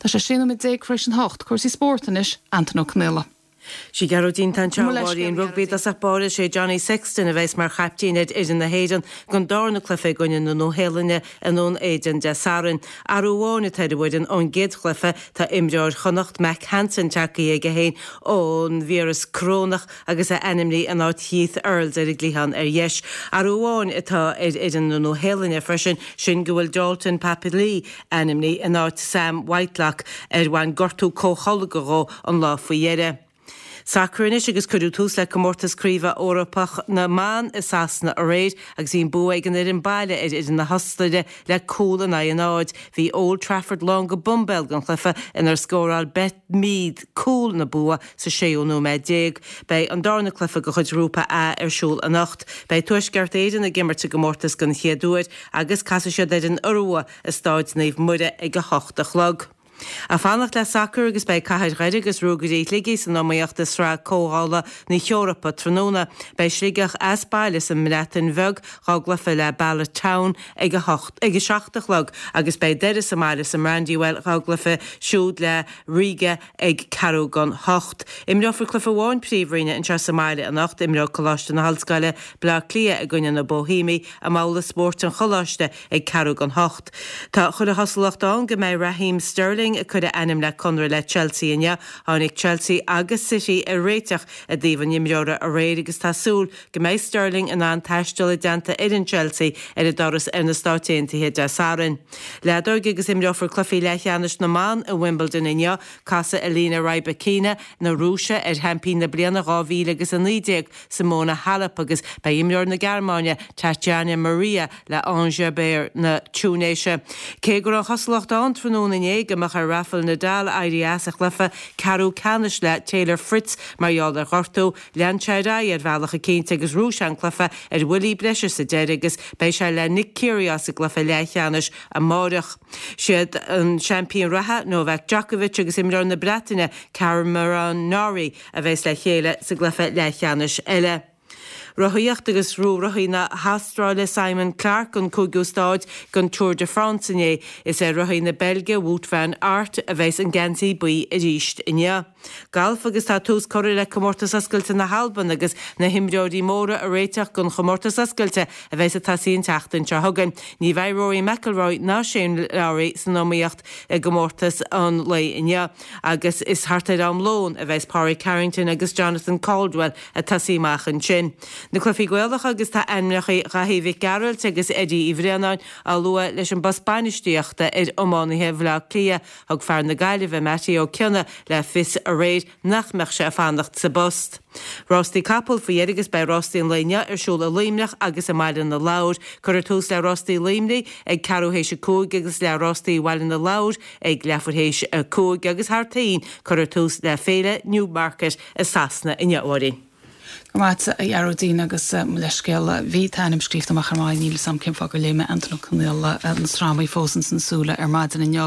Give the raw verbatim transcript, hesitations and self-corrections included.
Tá sé sé nóiméad déag tar éis a hocht cúrsaí spóirt anois Antain Ó Conghaile. Sí Gearóidín an rugbaí i dtosach báire sé Johnny Sexton a bheas mar chaiptín ar fhoireann na hÉireann don darna cluiche i gcoinne na Nua-Shéalainne i nDún Éideann Dé Sathairn. Athrú amháin atá ar an bhfoireann ón gcéad chluiche tá imreoir Chonnacht Mack Hansen tagtha chuige féin ón víreas corónach agus é ainmnithe in áit Heath Earls ar an gcliathán ar dheis. Athrú amháin atá ar fhoireann na Nua-Shéalainne freisin sin go bhfuil Dalton Papali'i ainmnithe in áit Sam Whitelock ar bhain gortú comhtholgtha dhó an lá faoi dheireadh. Sacar anois agus cuireadh tús le comórtas craoibhe Eorpach na mban i Sasana aréir agus bhí an bua ag an fhoireann baile ar fhoireann na hOstaire le cúl in aghaidh a náid. Bhí Old Trafford lán go boimbéal don chluiche inar scóráil Beth Mead cúl na bua sa séú nóiméad déag. Beidh an darna cluiche de chuid Ghrúpa A ar siúl anocht. Beidh Tuaisceart Éireann ag imirt i gcomórtas den chéad uair agus casfaidh siad ar an Iorua i Stáid Naomh Muire ag a hocht a chlog. Ag fanacht le sacar agus beidh Cathair Dhoire agus Ruagairí Shligigh san iomaíocht i Sraith Comhdhála na hEorpa tráthnóna. Beidh Sligeach as baile sa mBreatain Bheag dá gcluiche le Bala Town ag a hocht ag a seacht a chlog agus beidh Doire sa mbaile sa mBrandywell dá gcluiche siúd le Riga ag ceathrú don hocht. Imreofar cluiche amháin príomhroinne anseo sa mbaile anocht, imreoidh Coláiste na hOllscoile, Bleá Cliath i gcoinne na Boihéimigh i mbabhla spóirt an Choláiste ag ceathrú don hocht. Tá chuile chosúlacht ann go mbeidh Raheem Sterling ag cur a ainm le conradh le Chelsea inniu. Tháinig Chelsea agus City ar réiteach i dtaobh an imreora aréir agus tá súil go mbeidh Sterling in ann taisteal i dteannta fhoireann Chelsea ar a dturas ar na Stáit Aontaithe Dé Sathairn. Leadóg agus imreofar cluichí leathcheannais na mban i Wimbledon inniu, casfaidh Elena Rybakina na Rúise ar sheaimpín na bliana dhá mhíle agus a naoi déag Simona Halep agus beidh imreoir na Gearmáine Tatjana Maria le Ons Jabeur na Túinéise. Cé go raibh an chosúlacht ann tráthnóna inné go mbeadh ar Rafael Nadal éirí as a chluiche ceathrú ceannais le Taylor Fritz mar gheall ar ghortú, lean sé ar aghaidh ar bhealach eicínt agus bhuaigh sé an cluiche ar bhuillí breise sa deireadh agus beidh sé le Nick Kyrgios i gcluiche leathcheannais amárach. Siad an seaimpín reatha Novak Djokovic agus imreoir na Breataine Cameron Norrie a bheas le chéile sa gcluiche leathcheannais eile. Rothaíocht agus bhuaigh rothaí na hAstráile Simon Clarke an cúigiú stáid den Tour de France inné. Is é rothaí na Beilge Wout van Aert a bheas an geansaí buí arís inniu. Galf agus tá tús curtha le comórtas oscailte na hAlban agus na himreoirí móra ag réiteach don chomórtas oscailte a bheas ag tosaí an tseachtain seo chugainn. Ní bheidh Rory McIlroy ná Shane Lowry san iomaíocht i gcomórtas an lae inniu agus is thart ar am lóin a bheas Pádraig Harrington agus Jonathan Caldwell ag tosaí amach ansin. Na cluichí Gaelacha agus tá ainmneacha Dhaithí Mhic Gearailt agus Eddie Uí Bhraonáin á lua leis an bpost bainistíochta ar iománaithe Bhaile Átha Cliath. Thug fear na Gaillimhe Mattie Ó Cionnaith le fios aréir nach mbeadh sé ag fanacht sa bpost. Rástaí capall faoi dheireadh agus beidh rástaí an lae inniu ar siúl i Luimneach agus i mBaile na Lobhar. Cuirfear tús le rástaí Luimnigh ag ceathrú théis a cúig agus le rástaí Bhaile na Lobhar ag leathuair théis a cúig agus thar toinn cuirfear tús le Féile Newmarket i Sasana inniu, a Mháirín. Go maith a Ghearóidín agus mo leithscéal bhí t'ainm scríofa amach ar maidin níl a fhios agam cén fáth gur léigh mé Antain Ó Conghaile na sramaí fós ins na súile ar maidin inniu.